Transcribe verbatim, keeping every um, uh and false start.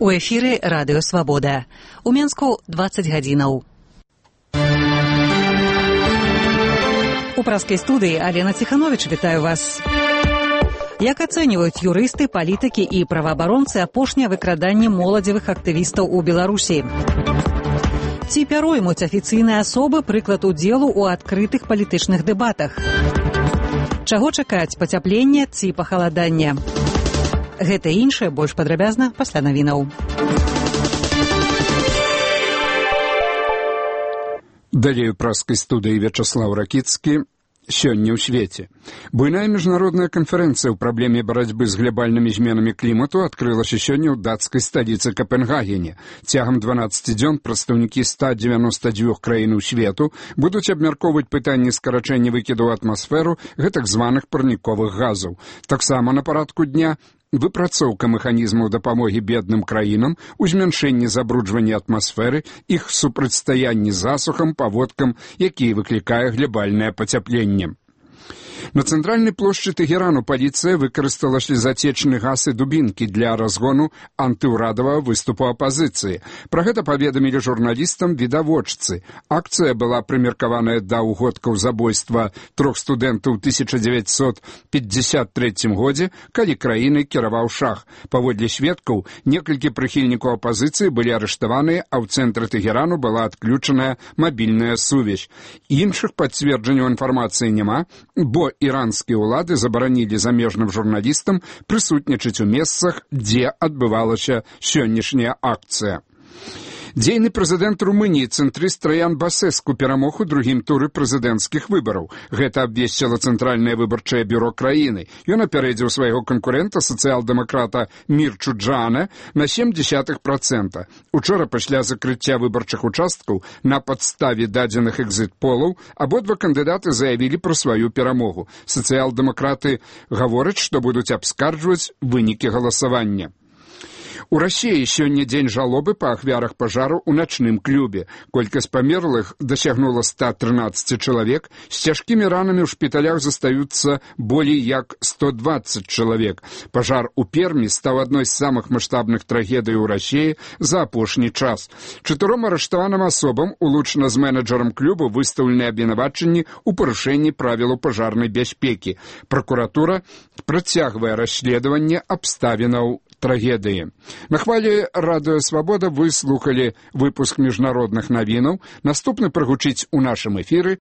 У эфіры Радыё Свабода. У Менску дваццаць гадзінаў. У праскай студыі Алена Ціхановіч, вітаю вас. Як ацэньваюць юрысты, палітыкі і праваабаронцы апошняе выкраданне моладзевых актывістаў у Беларусі? Ці пяроймуць афіцыйныя асобы прыклад удзелу ў адкрытых палітычных дэбатах? Чаго чакаць, пацяплення ці пахаладання? Гэта і іншае больш падрабязна пасля навінаў. Далей у праскай студыі Вячаслаў Ракіцкі. Сёння ў свеце. Буйная міжнародная канферэнцыя ў праблеме барацьбы з глобальнымі зменамі клімату адкрылася сёння ў дацкай сталіцы Капенгагене. Цягам дванаццаці дзён прадстаўнікі ста дзевяноста дзвюх краінаў свету будуць абмяркоўваць пытанні скарачэння выкіду ў атмасферу гэтак званых парніковых газаў. Таксама на парадку дня выпрацоўка механізмаў дапамогі бедным краінам у змяншэнні забруджвання атмасферы, іх супрацьстаянні засухам, паводкам, якія выклікае глобальнае пацяпленне. На цэнтральнай плошчы Тэхерану паліцыя выкарыстала слезацечны газ і дубінкі для разгону антыўрадавага выступу апазіцыі. Пра гэта паведамілі журналістам відавочцы. Акцыя была прымеркаваная да ўгодкаў забойства трох студэнтаў у тысяча дзевяцьсот пятьдесят трэцім годзе, калі краінай кіраваў шах. Паводле сведкаў, некалькі прыхільнікаў апазіцыі былі арыштаваныя, а ў цэнтры Тэхерану была адключаная мабільная сувязь. Іншых пацверджанняў інфармацыі няма, бо іранскія ўлады забаранілі замежным журналістам прысутнічаць у месцах, дзе адбывалася сённяшняя акцыя. Дзейны прэзідэнт Румыніі цэнтрыст Траян Басэску перамог у другім туры прэзідэнцкіх выбараў. Гэта абвесціла Цэнтральнае выбарчае бюро краіны. Ён апярэдзіў свайго канкурэнта, сацыял-дэмакрата Мірчу Джана, на сем дзесятых працэнта. Учора пасля закрыцця выбарчых участкаў на падставе дадзеных экзіт-полаў абодва кандыдаты заявілі пра сваю перамогу. Сацыял-дэмакраты гавораць, што будуць абскарджваць вынікі галасавання. У Расіі сёння дзень жалобы па ахвярах пажару ў начным клубе. Колькасць памерлых дасягнула ста трынаццаць чалавек, з цяжкімі ранамі ў шпіталях застаюцца болей як сто дваццаць чалавек. Пажар у Пермі стаў адной з самых маштабных трагедый у Расіі за апошні час. Чатыром арыштаваным асобам, улучна з менеджерам клуба, выстаўлены абвінавачанні ў парушэнні правілаў пажарнай бяспекі. Пракуратура працягвае расследаванне абставінаў трагедыі. На хвалі Радыё Свабода вы слухалі выпуск міжнародных навінаў. Наступны прагучыць у нашым эфіры